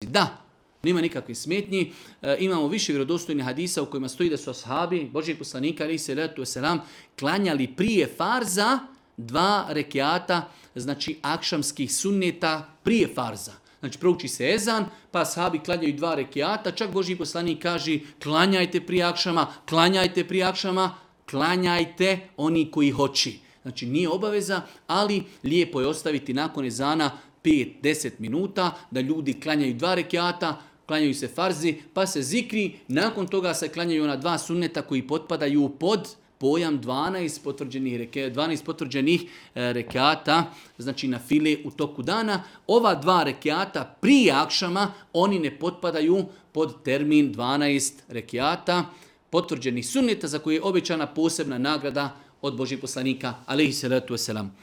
Da, nema nikakve smetnji. Imamo više vjerodostojnih hadisa u kojima stoji da su ashabi Božijeg poslanika alejhi selatu vesselam klanjali prije farza 2 rekiata, znači akšamskih sunneta prije farza. Znači prouči se ezan, pa ashabi klanjaju 2 rekiata, čak Božji poslanik kaže klanjajte prije akšama, klanjajte prije akšama, klanjajte oni koji hoći. Znači nije obaveza, ali lijepo je ostaviti nakon ezana 5-10 minuta da ljudi klanjaju 2 rekiata, klanjaju se farzi, pa se zikri, nakon toga se klanjaju ona 2 sunneta koji potpadaju pod pojam 12 potvrđenih rekata, znači na file u toku dana. Ova 2 rekata prije akšama, oni ne potpadaju pod termin 12 rekata potvrđenih sunneta za koje je obećana posebna nagrada od Božjeg poslanika alejhi selatu vesselam.